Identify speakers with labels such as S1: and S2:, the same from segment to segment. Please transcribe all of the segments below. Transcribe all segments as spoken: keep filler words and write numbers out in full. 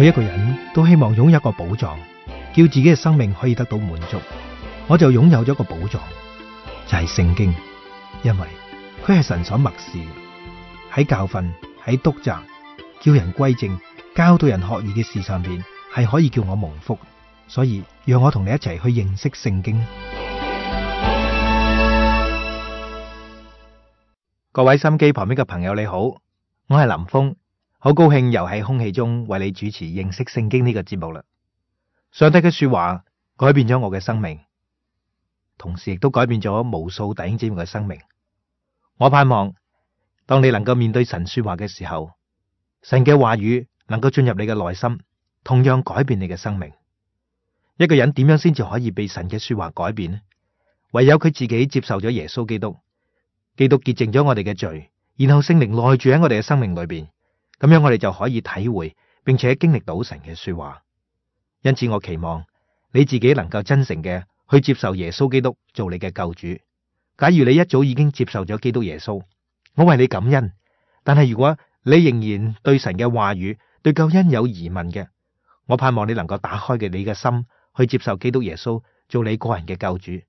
S1: 每一個人都希望擁有一個寶藏，叫自己嘅生命可以得到滿足。我就擁有咗一個寶藏，就係聖經，因為佢係神所默示，喺教訓、喺督責、叫人歸正、教導人學義嘅事上邊，係可以叫我蒙福。所以讓我同你一齊去認識聖經。各位心機旁邊嘅朋友你好，我係林峰，好高興又喺空氣中為你主持認識聖經呢個節目啦。上帝嘅說話改變咗我嘅生命，同時亦都改變咗無數弟兄姊妹嘅生命。我盼望當你能夠面對神說話嘅時候，神嘅話語能夠進入你嘅內心，同樣改變你嘅生命。一個人點樣先至可以被神嘅說話改變呢？唯有佢自己接受咗耶穌基督，基督潔淨咗我哋嘅罪，然後聖靈內住喺我哋嘅生命裏邊，咁樣我哋就可以體會並且經歷到神嘅說話。因此我期望你自己能夠真誠嘅去接受耶穌基督做你嘅救主。假如你一早已經接受咗基督耶穌，我為你感恩。但係如果你仍然對神嘅話語、對救恩有疑問嘅，我盼望你能夠打開嘅你嘅心，去接受基督耶穌做你個人嘅救主，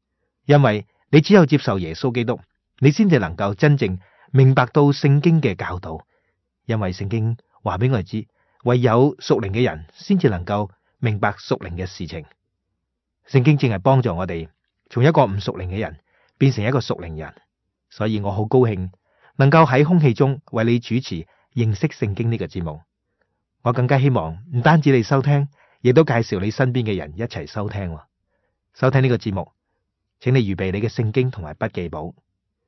S1: 因為你只有接受耶穌基督，你先至能夠真正明白到聖經嘅教導。因為聖經話俾我哋知，唯有屬靈嘅人先至能夠明白屬靈嘅事情。聖經正係幫助我哋從一個唔屬靈嘅人變成一個屬靈人，所以我好高興能夠喺空氣中為你主持認識聖經呢個節目。我更加希望唔單止你收聽，亦都介紹你身邊嘅人一齊收聽。收聽呢個節目，請你預備你嘅聖經同埋筆記簿，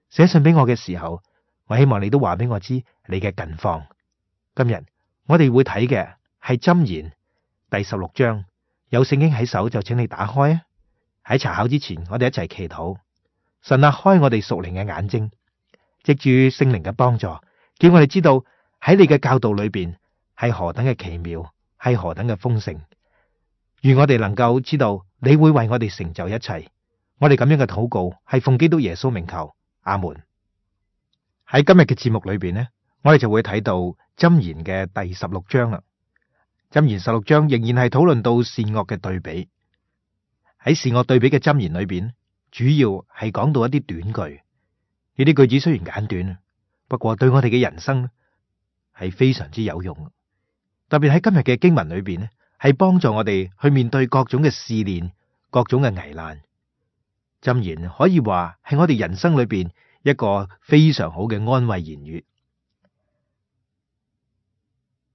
S1: 寫信俾我嘅時候，我希望你都話俾我知你嘅近況。今日我哋會睇嘅係箴言第十六章，有聖經喺手就請你打開啊！喺查考之前，我哋一齊祈禱。神啊，開我哋屬靈嘅眼睛，藉住聖靈嘅幫助，叫我哋知道喺你嘅教導裏邊係何等嘅奇妙，係何等嘅豐盛。願我哋能夠知道你會為我哋成就一切。我哋咁樣嘅禱告係奉基督耶穌名求，阿門。喺今日嘅節目裏邊呢，我哋就會睇到箴言嘅第十六章啦。箴言十六章仍然係討論到善惡嘅對比。喺善惡對比嘅箴言裏邊，主要係講到一啲短句。呢啲句子雖然簡短，不過對我哋嘅人生係非常之有用。特別喺今日嘅經文裏邊呢，係幫助我哋去面對各種嘅試煉、各種嘅危難。箴言可以話係我哋人生裏邊一個非常好嘅安慰言語。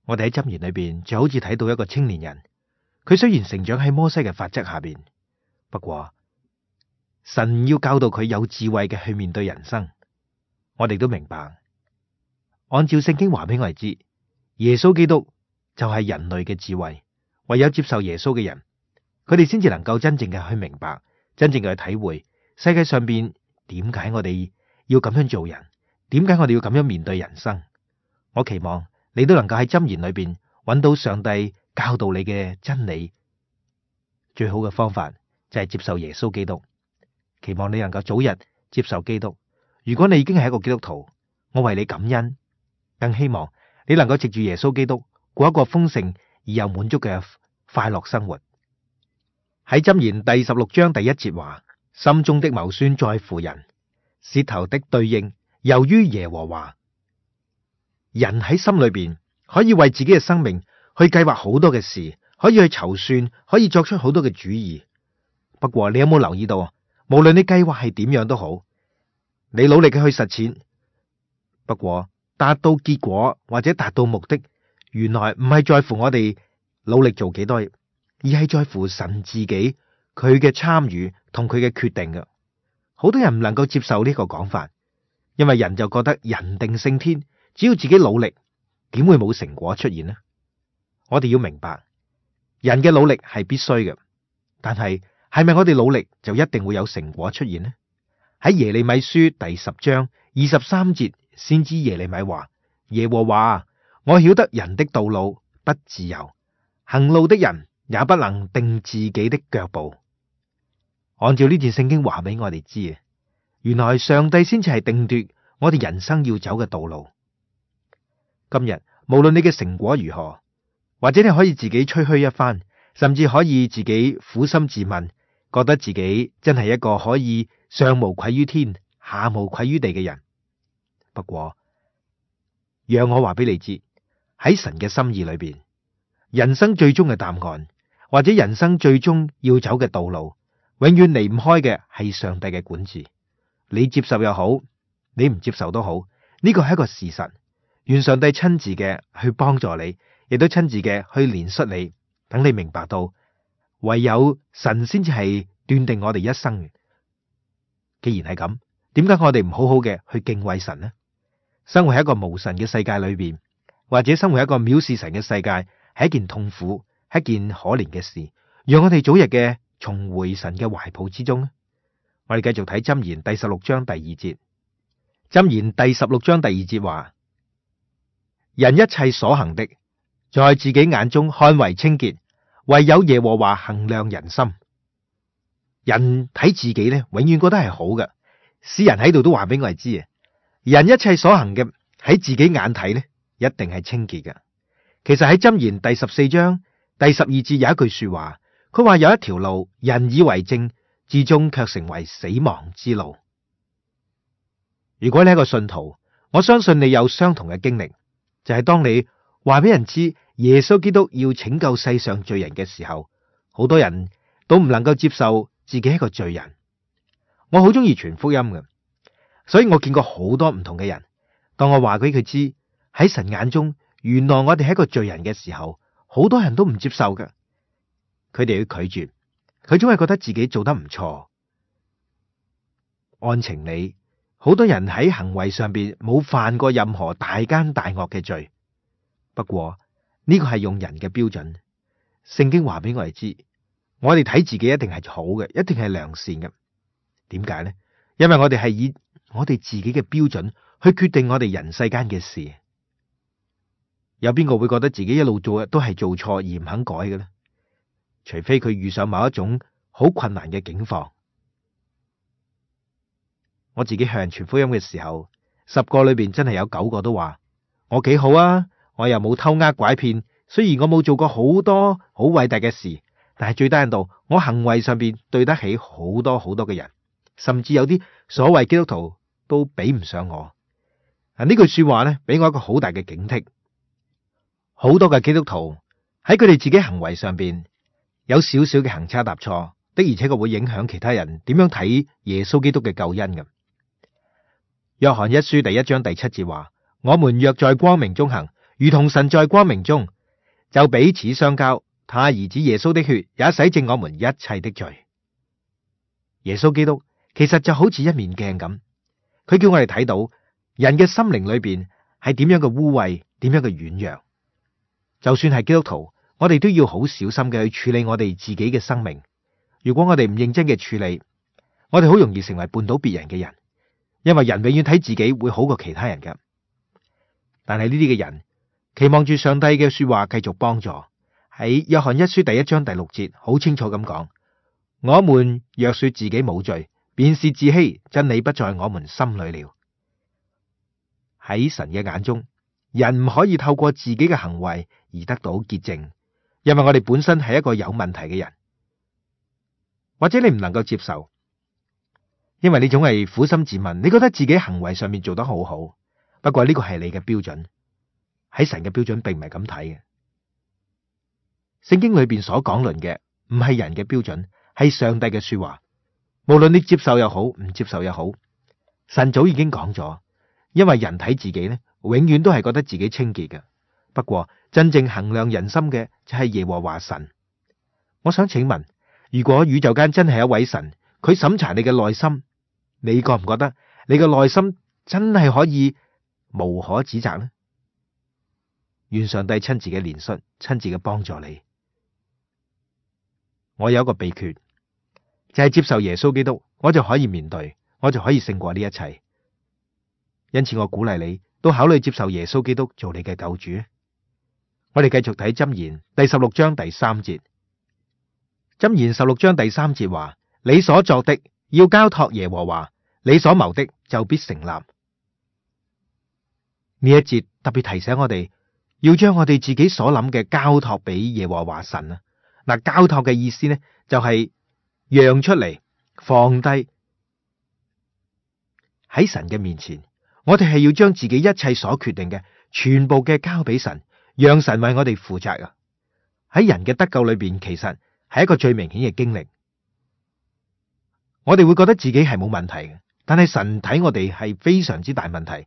S1: 我哋喺箴言裏邊就好似睇到一個青年人，佢雖然成長喺摩西嘅法則下邊，不過神要教導佢有智慧嘅去面對人生。我哋都明白，按照聖經話俾我哋知，耶穌基督就係人類嘅智慧。唯有接受耶穌嘅人，佢哋先至能夠真正嘅去明白，真正嘅去體會世界上邊點解我哋要咁樣做人，點解我哋要咁樣面對人生。我期望你都能夠喺箴言裏邊揾到上帝教導你嘅真理。最好嘅方法就係接受耶穌基督。期望你能夠早日接受基督。如果你已經係一個基督徒，我為你感恩，更希望你能夠藉住耶穌基督過一個豐盛而又滿足嘅快樂生活。喺箴言第十六章第一節話：心中的謀算在乎人，舌頭的對應由於耶和華。人喺心裏邊可以為自己嘅生命去計劃好多嘅事，可以去籌算，可以作出好多嘅主意。不過你有冇留意到，無論你計劃係點樣都好，你努力嘅去實踐，不過達到結果或者達到目的，原來唔係在乎我哋努力做幾多，而係在乎神自己佢嘅參與同佢嘅決定嘅。好多人唔能夠接受呢個講法，因為人就覺得人定勝天，只要自己努力，點會冇成果出現呢？我哋要明白，人嘅努力係必須嘅，但係係咪我哋努力就一定會有成果出現呢？喺耶利米書第十章二十三節，先知耶利米話：耶和華，我曉得人的道路不自由，行路的人也不能定自己的腳步。按照呢段聖經話俾我哋知，原來上帝先至係定奪我哋人生要走嘅道路。今日無論你嘅成果如何，或者你可以自己吹噓一番，甚至可以自己苦心自問，覺得自己真係一個可以上無愧於天，下無愧於地嘅人。不過，讓我話俾你知，喺神嘅心意裏邊，人生最終嘅答案，或者人生最終要走嘅道路，永遠離唔開嘅係上帝嘅管治。你接受又好，你唔接受都好，呢個係一個事實。願上帝親自嘅去幫助你，亦都親自嘅去憐恤你，等你明白到唯有神先至係斷定我哋一生。既然係咁，點解我哋唔好好嘅去敬畏神呢？生活喺一個無神嘅世界裏邊，或者生活喺一個藐視神嘅世界，係一件痛苦、係一件可憐嘅事。讓我哋早日嘅重回神嘅懷抱之中。我哋繼續睇箴言第十六章第二節。箴言第十六章第二節話：人一切所行的，在自己眼中看為清潔，唯有耶和華衡量人心。人睇自己咧，永遠覺得係好嘅。詩人喺度都話俾我哋知啊，人一切所行嘅喺自己眼睇咧，一定係清潔嘅。其實喺箴言第十四章第十二節有一句說話，佢話有一條路，人以為正，至終卻成為死亡之路。如果你係一個信徒，我相信你有相同嘅經歷，就係當你話俾人知耶穌基督要拯救世上罪人嘅時候，好多人都唔能夠接受自己係一個罪人。我好中意傳福音嘅，所以我見過好多唔同嘅人。當我話俾佢知喺神眼中，原來我哋係一個罪人嘅時候，好多人都唔接受嘅，佢哋要拒絕，佢總係覺得自己做得唔錯。按情理，好多人喺行為上邊冇犯過任何大奸大惡嘅罪。不過呢個係用人嘅標準，聖經話俾我哋知，我哋睇自己一定係好嘅，一定係良善嘅。點解呢？因為我哋係以我哋自己嘅標準去決定我哋人世間嘅事。有邊個會覺得自己一路做嘅都係做錯而唔肯改嘅呢？除非佢遇上某一種好困難嘅境況。我自己向人傳福音嘅時候，十個裏邊真係有九個都話我幾好啊，我又冇偷呃拐騙，雖然我冇做過好多好偉大嘅事，但係最低限度我行為上邊對得起好多好多嘅人，甚至有啲所謂基督徒都比唔上我。啊，呢句說話咧，俾我一個好大嘅警惕。好多嘅基督徒喺佢哋自己行為上邊有少少嘅行差踏錯，的而且確會影響其他人點樣睇耶穌基督嘅救恩嘅。約翰一書第一章第七節話：我們若在光明中行，如同神在光明中，就彼此相交。他兒子耶穌的血也洗淨我們一切的罪。耶穌基督其實就好似一面鏡咁，佢叫我哋睇到人嘅心靈裏邊係點樣嘅污穢，點樣嘅軟弱。就算係基督徒，我哋都要好小心嘅去處理我哋自己嘅生命。如果我哋唔認真嘅處理，我哋好容易成為絆倒別人嘅人。因為人永遠睇自己會好過其他人㗎，但係呢啲嘅人期望住上帝嘅說話繼續幫助。喺約翰一書第一章第六節好清楚咁講：我們若說自己冇罪，便是自欺，真理不在我們心裏了。喺神嘅眼中，人唔可以透過自己嘅行為而得到潔淨，因為我哋本身係一個有問題嘅人。或者你唔能夠接受，因為你總係苦心自問，你覺得自己行為上面做得好好，不過呢個係你嘅標準，喺神嘅標準並唔係咁睇嘅。聖經裏邊所講論嘅唔係人嘅標準，係上帝嘅說話。無論你接受又好，唔接受又好，神早已經講咗。因為人睇自己呢，永遠都係覺得自己清潔嘅。不過真正衡量人心嘅就係耶和華神。我想請問，如果宇宙間真係一位神，佢審查你嘅內心，你覺唔覺得你嘅內心真係可以無可指責呢？願上帝親自嘅憐恤，親自嘅幫助你。我有一個秘訣，就係接受耶穌基督，我就可以面對，我就可以勝過呢一切。因此我鼓勵你都考慮接受耶穌基督做你嘅救主。我哋繼續睇箴言第十六章第三節。箴言十六章第三節話：你所作的要交託耶和華，你所謀的就必成立。呢一節特別提醒我哋，要將我哋自己所諗嘅交託俾耶和華神啊。嗱，交託嘅意思呢，就係讓出嚟，放低喺神嘅面前。我哋係要將自己一切所決定嘅全部嘅交俾神，讓神為我哋負責啊。喺人嘅得救裏邊，其實係一個最明顯嘅經歷。我哋會覺得自己係冇問題嘅，但係神睇我哋係非常之大問題。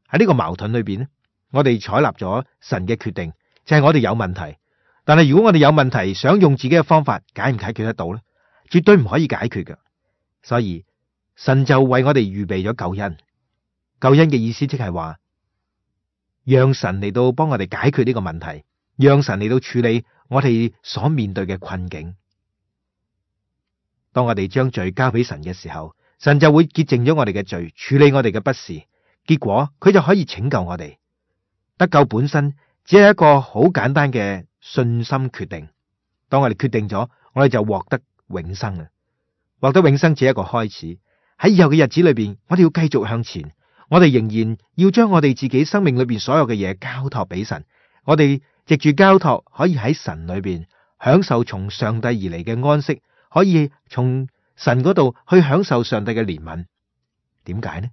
S1: 喺呢個矛盾裏邊咧，我哋採納咗神嘅決定，就係我哋有問題。但係如果我哋有問題，想用自己嘅方法解唔解決得到咧？絕對唔可以解決嘅。所以神就為我哋預備咗救恩。救恩嘅意思即係話，讓神嚟到幫我哋解決呢個問題，讓神嚟到處理我哋所面對嘅困境。當我哋將罪交俾神嘅時候，神就會潔淨咗我哋嘅罪，處理我哋嘅不是，結果佢就可以拯救我哋。得救本身只係一個好簡單嘅信心決定。當我哋決定咗，我哋就獲得永生啊！獲得永生只係一個開始。喺以後嘅日子裏邊，我哋要繼續向前，我哋仍然要將我哋自己生命裏邊所有嘅嘢交託俾神。我哋藉住交託，可以喺神裏邊享受從上帝而嚟嘅安息，可以從神嗰度去享受上帝嘅憐憫。點解呢？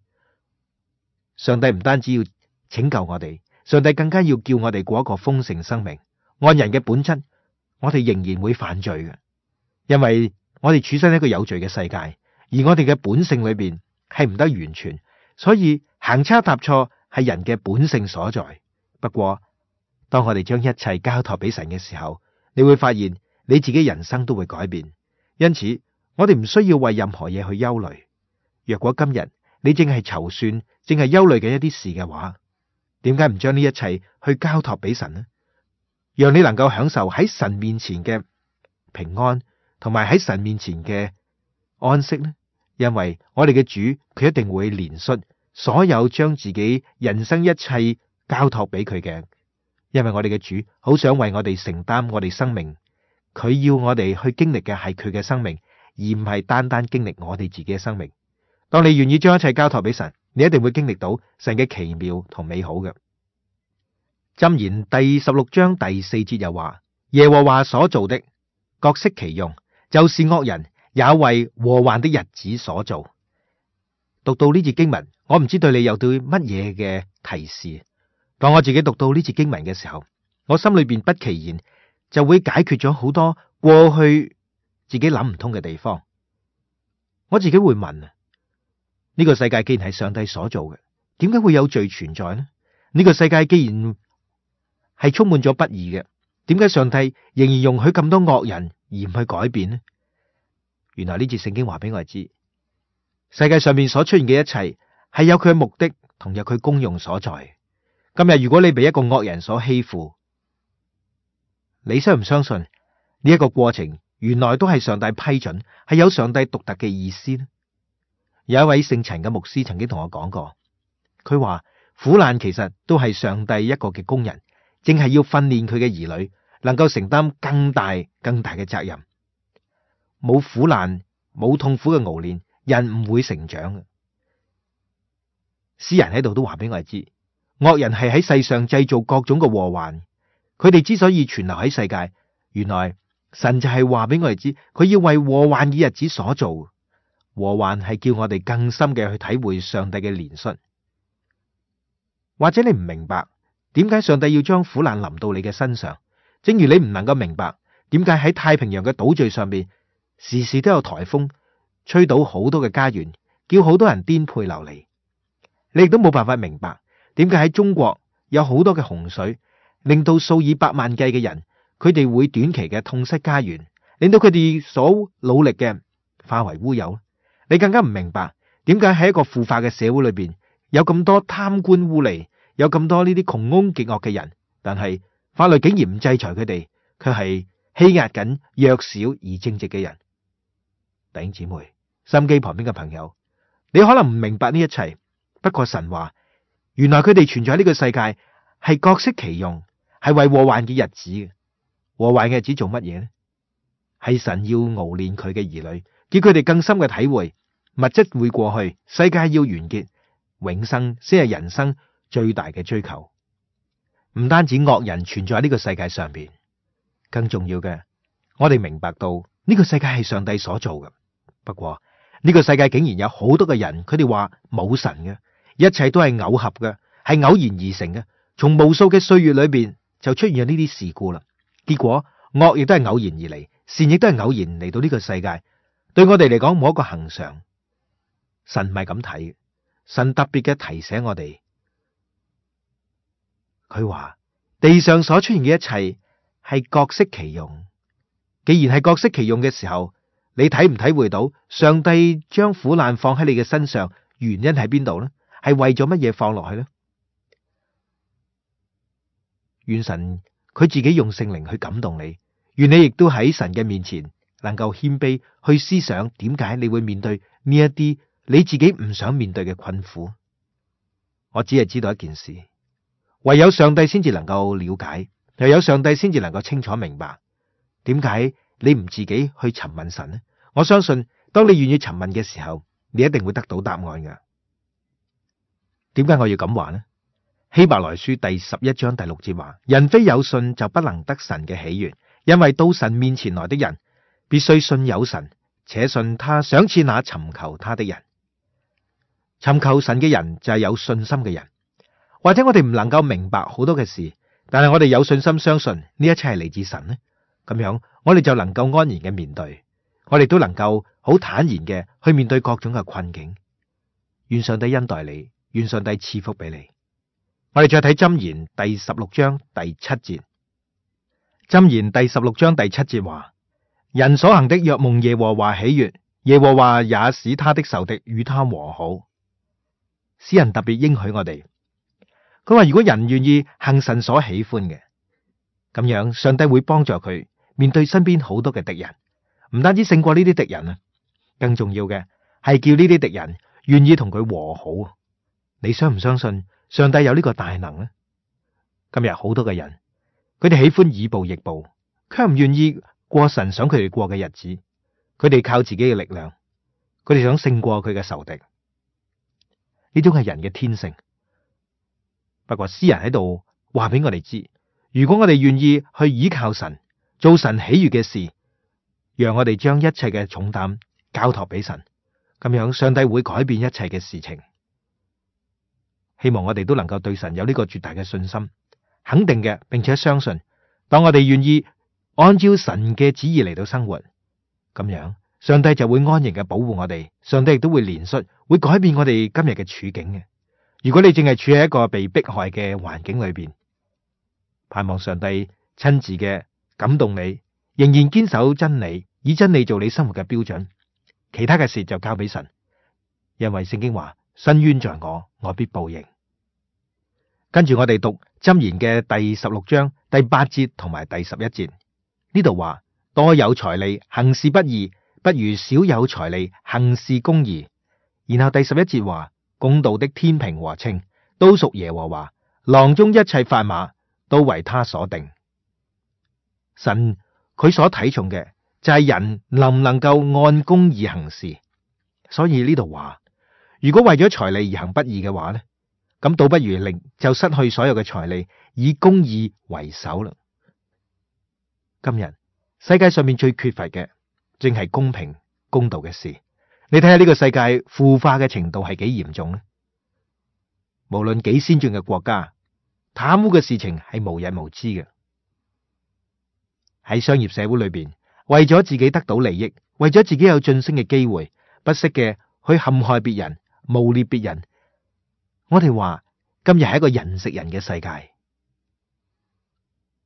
S1: 上帝唔單止要拯救我哋，上帝更加要叫我哋過一個豐盛生命。按人嘅本質，我哋仍然會犯罪嘅，因為我哋處身喺一個有罪嘅世界，而我哋嘅本性裏邊係唔得完全，所以行差踏錯係人嘅本性所在。不過當我哋將一切交託俾神嘅時候，你會發現你自己人生都會改變。因此我哋唔需要為任何嘢去憂慮。若果今日你正係籌算，正係憂慮嘅一啲事嘅話，點解唔將呢一切去交託俾神呢？讓你能夠享受喺神面前嘅平安，同埋喺神面前嘅安息呢？因為我哋嘅主，佢一定會憐恤所有將自己人生一切交託俾佢嘅。因為我哋嘅主好想為我哋承擔我哋生命，佢要我哋去經歷嘅係佢嘅生命，而唔係單單經歷我哋自己嘅生命。當你願意將一切交託俾神，你一定會經歷到神嘅奇妙同美好嘅。箴言第十六章第四節又話：耶和華所造的，各適其用，就是惡人也為禍患的日子所造。讀到呢節經文，我唔知對你有對乜嘢嘅提示。當我自己讀到呢節經文嘅時候，我心裏邊不其然就會解決咗好多過去自己諗唔通嘅地方。我自己會問啊，呢個世界既然係上帝所做嘅，點解會有罪存在呢？呢個世界既然係充滿咗不義嘅，點解上帝仍然容許咁多惡人而唔去改變呢？原來呢節聖經話俾我哋知，世界上面所出現嘅一切係有佢嘅目的，同有佢功用所在。今日如果你被一個惡人所欺負，你相唔相信呢一個過程原來都係上帝批准，係有上帝獨特嘅意思呢？有一位姓陳嘅牧師曾經同我講過，佢話苦難其實都係上帝一個嘅工人，正係要訓練佢嘅兒女能夠承擔更大更大嘅責任。冇苦難，冇痛苦嘅熬練，人唔會成長嘅。詩人喺度都話俾我哋知，惡人係喺世上製造各種嘅禍患。佢哋之所以存留喺世界，原來神就係話俾我哋知，佢要為禍患嘅日子所做。禍患係叫我哋更深嘅去體會上帝嘅憐恤。或者你唔明白點解上帝要將苦難臨到你嘅身上，正如你唔能夠明白點解喺太平洋嘅島嶼上面時時都有颱風吹倒好多嘅家園，叫好多人顛沛流離。你亦都冇辦法明白點解喺中國有好多嘅洪水，令到數以百萬計嘅人，佢哋會短期嘅痛失家園，令到佢哋所努力嘅化為烏有。你更加唔明白點解喺一個腐化嘅社會裏邊，有咁多貪官污吏，有咁多呢啲窮兇極惡嘅人，但係法律竟然唔制裁佢哋，卻係欺壓緊弱小而正直嘅人。弟兄姊妹，心機旁邊嘅朋友，你可能唔明白呢一切，不過神話原來佢哋存在喺呢個世界係各適其用，係為禍患嘅日子嘅。禍患嘅日子做乜嘢呢？係神要熬練佢嘅兒女，叫佢哋更深嘅體會物質會過去，世界要完結，永生先係人生最大嘅追求。唔單止惡人存在喺呢個世界上邊，更重要嘅，我哋明白到呢個世界係上帝所做嘅。不過呢個世界竟然有好多嘅人，佢哋話冇神嘅，一切都係偶合嘅，係偶然而成嘅。從無數嘅歲月裏邊就出現咗呢啲事故啦。結果惡亦都係偶然而嚟，善亦都係偶然嚟到呢個世界。對我哋嚟講冇一個恆常。神唔係咁睇，神特別嘅提醒我哋。佢話地上所出現嘅一切係各適其用。既然係各適其用嘅時候，你體唔體會到上帝將苦難放喺你嘅身上，原因喺邊度呢？係為咗乜嘢放落去呢？願神佢自己用聖靈去感動你，願你亦都喺神嘅面前能夠謙卑去思想，點解你會面對呢一啲你自己唔想面對嘅困苦。我只係知道一件事，唯有上帝先至能夠了解，又有上帝先至能夠清楚明白，點解你唔自己去詢問神呢？我相信當你願意詢問嘅時候，你一定會得到答案㗎。點解我要咁話呢？希伯來書第十一章第六節話：人非有信就不能得神嘅喜悅，因為到神面前來的人必須信有神，且信他賞賜那尋求他的人。尋求神嘅人就係有信心嘅人。或者我哋唔能夠明白好多嘅事，但係我哋有信心相信呢一切係嚟自神呢，咁樣我哋就能夠安然嘅面對，我哋都能夠好坦然嘅去面對各種嘅困境。願上帝恩待你，願上帝賜福俾你。我哋再睇箴言第十六章第七節。箴言第十六章第七節話：人所行的若蒙耶和華喜悅，耶和華也使他的仇敵與他和好。詩人特別應許我哋，佢話如果人願意行神所喜歡嘅，咁樣上帝會幫助佢面對身邊好多嘅敵人，唔單止勝過呢啲敵人啊，更重要嘅係叫呢啲敵人願意同佢和好。你相唔相信上帝有呢個大能呢？今日好多嘅人，佢哋喜歡以暴易暴，卻唔願意過神想佢哋過嘅日子。佢哋靠自己嘅力量，佢哋想勝過佢嘅仇敵。呢種係人嘅天性。不過詩人喺度話俾我哋知，如果我哋願意去依靠神，做神喜悅嘅事，讓我哋將一切嘅重擔交託俾神，咁樣上帝會改變一切嘅事情。希望我哋都能夠對神有呢個絕大嘅信心，肯定嘅，並且相信，當我哋願意按照神嘅旨意嚟到生活，咁樣上帝就會安然嘅保護我哋，上帝亦都會憐恤，會改變我哋今日嘅處境嘅。如果你淨係處喺一個被迫害嘅環境裏邊，盼望上帝親自嘅感動你，仍然堅守真理，以真理做你生活嘅標準，其他嘅事就交俾神，因為聖經話：伸冤在我，我必報應。跟住我哋讀箴言嘅第十六章第八節同埋第十一節，呢度話：多有財利，行事不義，不如少有財利，行事公義。然後第十一節話：公道的天平和秤都屬耶和華，囊中一切砝碼都為他所定。神佢所睇重嘅就係人能唔能夠按公義行事。所以呢度話，如果為咗財利而行不義嘅話呢，咁倒不如令就失去所有嘅財利，以公義為首啦。今日世界上面最缺乏嘅正係公平公道嘅事。你睇下呢個世界腐化嘅程度係幾嚴重呢？無論幾先進嘅國家，貪污嘅事情係無日無之嘅。喺商業社會裏邊，為咗自己得到利益，為咗自己有晉升嘅機會，不惜嘅去陷害別人、誣衊別人。我哋話今日係一個人食人嘅世界，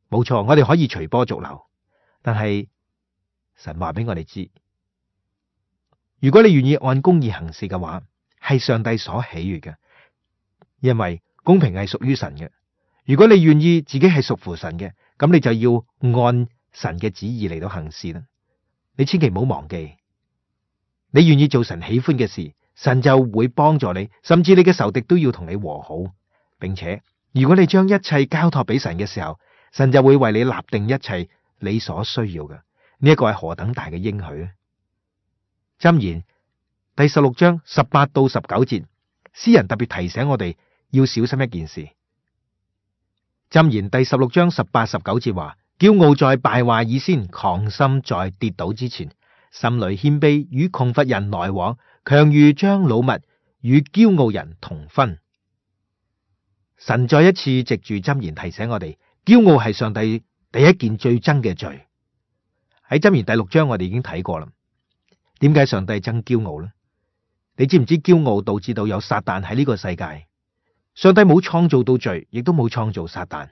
S1: 冇錯，我哋可以隨波逐流，但係神話俾我哋知，如果你願意按公義行事嘅話，係上帝所喜悅嘅，因為公平係屬於神嘅。如果你願意自己係屬乎神嘅，咁你就要按神嘅旨意嚟到行事啦。你千祈唔好忘記，你願意做神喜歡嘅事，神就會幫助你，甚至你嘅仇敵都要同你和好，並且如果你將一切交託俾神嘅時候，神就會為你立定一切你所需要嘅。呢一個係何等大嘅應許啊！箴言第十六章十八到十九節，詩人特別提醒我哋要小心一件事，箴言第十六章十八、十九節話：驕傲在敗壞以先，狂心在跌倒之前。心裏謙卑與窮乏人來往，強如將擄物與驕傲人同分。神再一次藉住箴言提醒我哋，驕傲係上帝第一件最憎嘅罪。喺箴言第六章我哋已經睇過啦。點解上帝憎驕傲呢？你知唔知驕傲導致到有撒旦喺呢個世界？上帝冇創造到罪，亦都冇創造撒旦。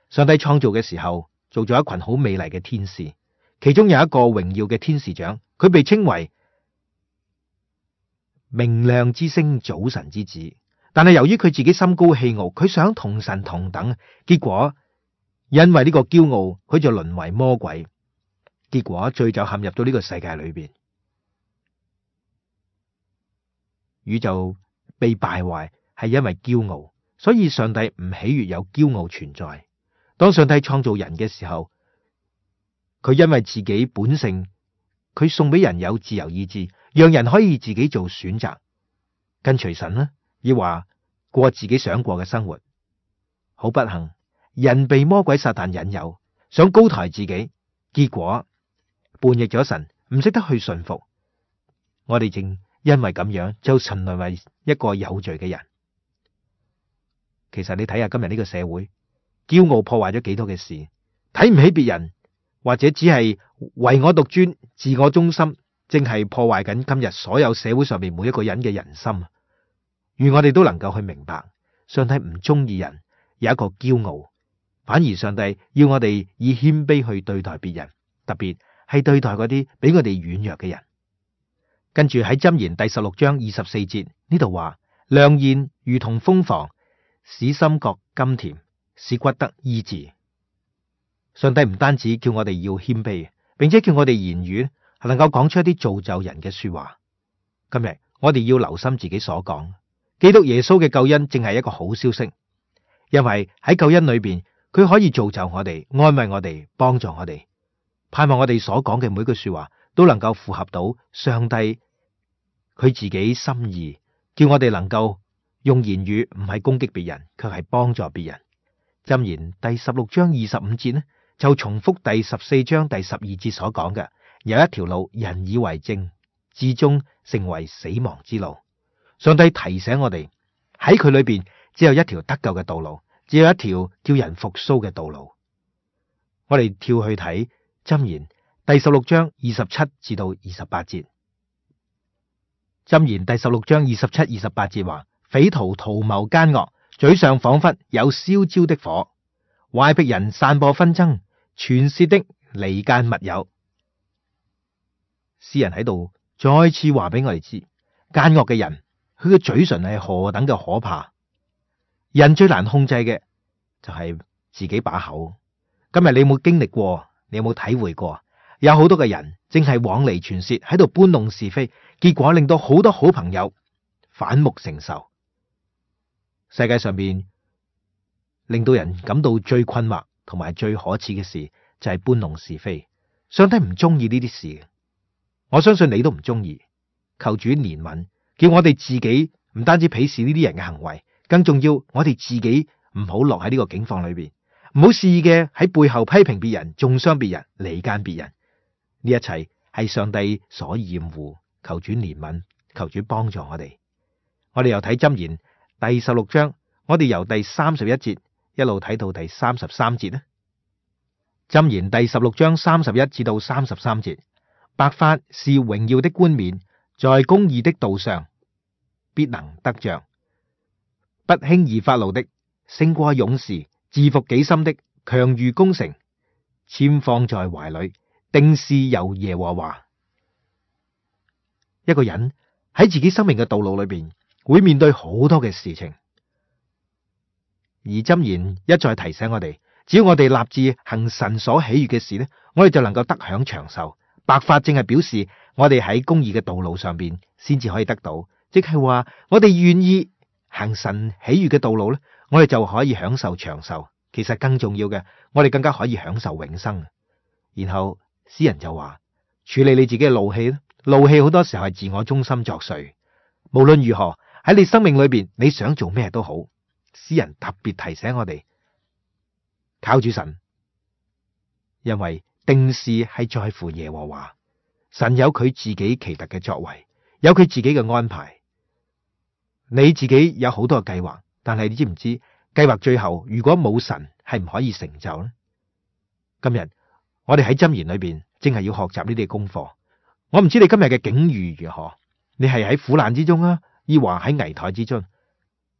S1: 上帝創造嘅時候，做咗一群好美麗嘅天使，其中有一個榮耀嘅天使長，佢被稱為明亮之星、早晨之子。但係由於佢自己心高氣傲，佢想同神同等，結果因為呢個驕傲，佢就淪為魔鬼。結果罪就陷入到呢個世界裏邊，宇宙被敗壞係因為驕傲，所以上帝唔喜悅有驕傲存在。當上帝創造人嘅時候，佢因為自己本性，佢送俾人有自由意志，讓人可以自己做選擇，跟隨神啦，亦話過自己想過嘅生活。好不幸，人被魔鬼撒旦引誘，想高抬自己，結果叛逆咗神，唔識得去順服。我哋正因為咁樣就沉淪為一個有罪嘅人。其實你睇下今日呢個社會，驕傲破壞咗幾多嘅事，睇唔起別人，或者只係唯我獨尊、自我中心，正係破壞緊今日所有社會上面每一個人嘅人心。願我哋都能夠去明白，上帝唔中意人有一個驕傲，反而上帝要我哋以謙卑去對待別人，特別係對待嗰啲比我哋軟弱嘅人。跟住喺箴言第十六章二十四節呢度話：良言如同蜂房，使心覺甘甜，使骨得醫治。上帝唔單止叫我哋要謙卑，並且叫我哋言語係能夠講出一啲造就人嘅說話。今日我哋要留心自己所講，基督耶穌嘅救恩正係一個好消息，因為喺救恩裏邊，佢可以造就我哋，安慰我哋，幫助我哋。盼望我哋所講嘅每句說話都能夠符合到上帝佢自己心意，叫我哋能夠用言語唔係攻擊別人，卻係幫助別人。箴言第十六章二十五節呢，就重複第十四章第十二節所講嘅，有一條路人以為正，至終成為死亡之路。上帝提醒我哋喺佢裏邊只有一條得救嘅道路，只有一條叫人復甦嘅道路。我哋跳去睇箴言第十六章二十七至到二十八節。箴言第十六章二十七、二十八節話：匪徒圖謀奸惡，嘴上仿佛有燒焦的火；乖僻人散播紛爭，傳舌的離間密友。詩人喺度再次話俾我哋知，奸惡嘅人佢嘅嘴唇係何等嘅可怕。人最難控制嘅就係自己把口。今日你有冇經歷過？你有冇體會過？有好多嘅人正係往嚟傳舌，喺度搬弄是非，結果令到好多好朋友反目成仇。世界上邊令到人感到最困惑同埋最可恥嘅事就係搬弄是非。上帝唔中意呢啲事，我相信你都唔中意。求主憐憫，叫我哋自己唔單止鄙視呢啲人嘅行為，更重要我哋自己唔好落喺呢個境況裏邊，唔好肆意嘅喺背後批評別人、中傷別人、離間別人。呢一切係上帝所厭惡。求主憐憫，求主幫助我哋。我哋又睇箴言第十六章，我哋由第三十一節一路睇到第三十三節呢。箴言第十六章三十一至到三十三節：白髮是榮耀的冠冕，在公義的道上必能得着。不輕易發怒的勝過勇士，治服己心的強如攻城。籤放在懷裏，定是由耶和華。一個人喺自己生命嘅道路裏邊，會面對好多嘅事情，而箴言一再提醒我哋，只要我哋立志行神所喜悅嘅事呢，我哋就能夠得享長壽。白髮正係表示我哋喺公義嘅道路上邊先至可以得到，即係話我哋願意行神喜悅嘅道路呢，我哋就可以享受長壽。其實更重要嘅，我哋更加可以享受永生。然後詩人就話，處理你自己嘅怒氣，怒氣好多時候係自我中心作祟。無論如何喺你生命裏邊，你想做咩都好，詩人特別提醒我哋靠住神，因為定事係在乎耶和華，神有佢自己奇特嘅作為，有佢自己嘅安排。你自己有好多嘅計劃，但係你知唔知計劃最後如果冇神係唔可以成就呢？今日我哋喺箴言裏邊正係要學習呢啲功課。我唔知你今日嘅境遇如何，你係喺苦難之中啊，抑或喺危殆之中。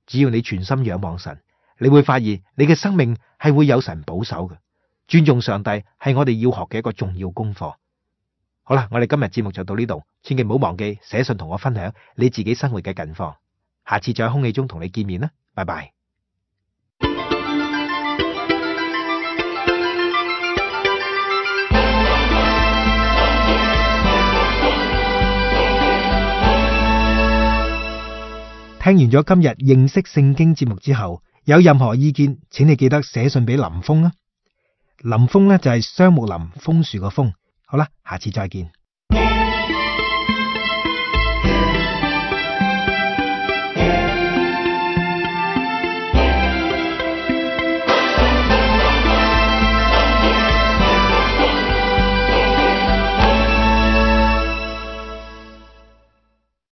S1: 只要你全心仰望神，你會發現你嘅生命係會有神保守嘅。尊重上帝係我哋要學嘅一個重要功課。好啦，我哋今日節目就到呢度，千祈唔好忘記寫信同我分享你自己生活嘅近況。下次再喺空氣中同你見面啦，拜拜。聽完咗今日認識聖經節目之後，有任何意見，請你記得寫信俾林峰啦。林峰呢就係雙木林楓樹個楓。好啦，下次再見。